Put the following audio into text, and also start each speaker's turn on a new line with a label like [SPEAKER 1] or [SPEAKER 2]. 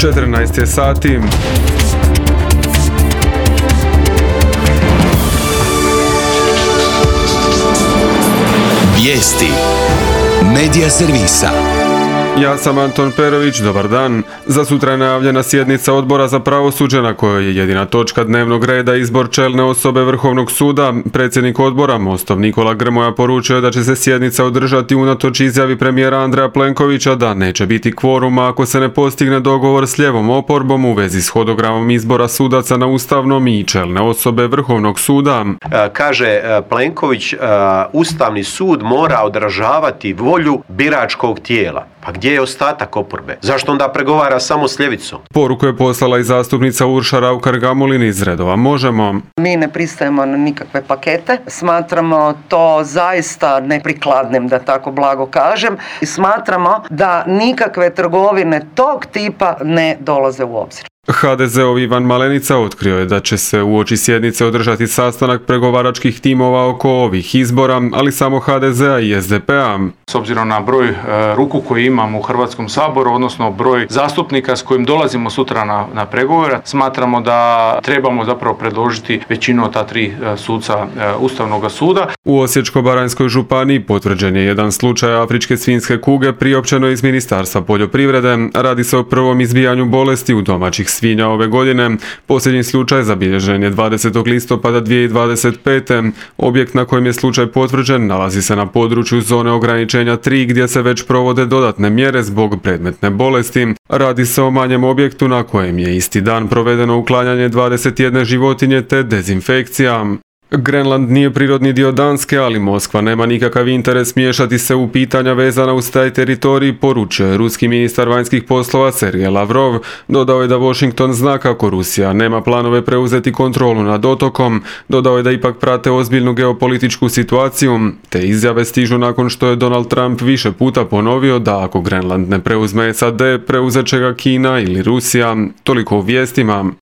[SPEAKER 1] 14 je sati.
[SPEAKER 2] Vijesti Medija servisa.
[SPEAKER 1] Ja sam Anton Perović, dobar dan. Za sutra je najavljena sjednica Odbora za pravosuđe na kojoj je jedina točka dnevnog reda izbor čelne osobe Vrhovnog suda. Predsjednik odbora, Mostov Nikola Grmoja, poručio je da će se sjednica održati unatoč izjavi premijera Andreja Plenkovića da neće biti kvoruma ako se ne postigne dogovor s lijevom oporbom u vezi s hodogramom izbora sudaca na ustavnom i čelne osobe Vrhovnog suda.
[SPEAKER 3] Kaže Plenković, Ustavni sud mora odražavati volju biračkog tijela. Pa gdje je ostatak oporbe? Zašto onda pregovara samo s ljevicom?
[SPEAKER 1] Poruku je poslala i zastupnica Urša Raukar-Gamulin iz redova Možemo.
[SPEAKER 4] Mi ne pristajemo na nikakve pakete. Smatramo to zaista neprikladnim, da tako blago kažem. I smatramo da nikakve trgovine tog tipa ne dolaze u obzir.
[SPEAKER 1] HDZ-ov Ivan Malenica otkrio je da će se uoči sjednice održati sastanak pregovaračkih timova oko ovih izbora, ali samo HDZ-a i SDP-a.
[SPEAKER 5] S obzirom na broj ruku koji imamo u Hrvatskom saboru, odnosno broj zastupnika s kojim dolazimo sutra na pregovore, smatramo da trebamo zapravo predložiti većinu od ta tri suca Ustavnog suda.
[SPEAKER 1] U Osječko-baranjskoj županiji potvrđen je jedan slučaj afričke svinjske kuge priopćeno iz Ministarstva poljoprivrede. Radi se o prvom izbijanju bolesti u domaćih svinja ove godine. Posljednji slučaj zabilježen je 20. listopada 2025. Objekt na kojem je slučaj potvrđen nalazi se na području zone ograničenja 3 gdje se već provode dodatne mjere zbog predmetne bolesti. Radi se o manjem objektu na kojem je isti dan provedeno uklanjanje 21 životinje te dezinfekcija. Grenland nije prirodni dio Danske, ali Moskva nema nikakav interes miješati se u pitanja vezana uz taj teritorij, poručio je ruski ministar vanjskih poslova Sergej Lavrov. Dodao je da Washington zna kako Rusija nema planove preuzeti kontrolu nad otokom. Dodao je da ipak prate ozbiljnu geopolitičku situaciju. Te izjave stižu nakon što je Donald Trump više puta ponovio da ako Grenland ne preuzme SAD, preuzet će ga Kina ili Rusija. Toliko u vijestima.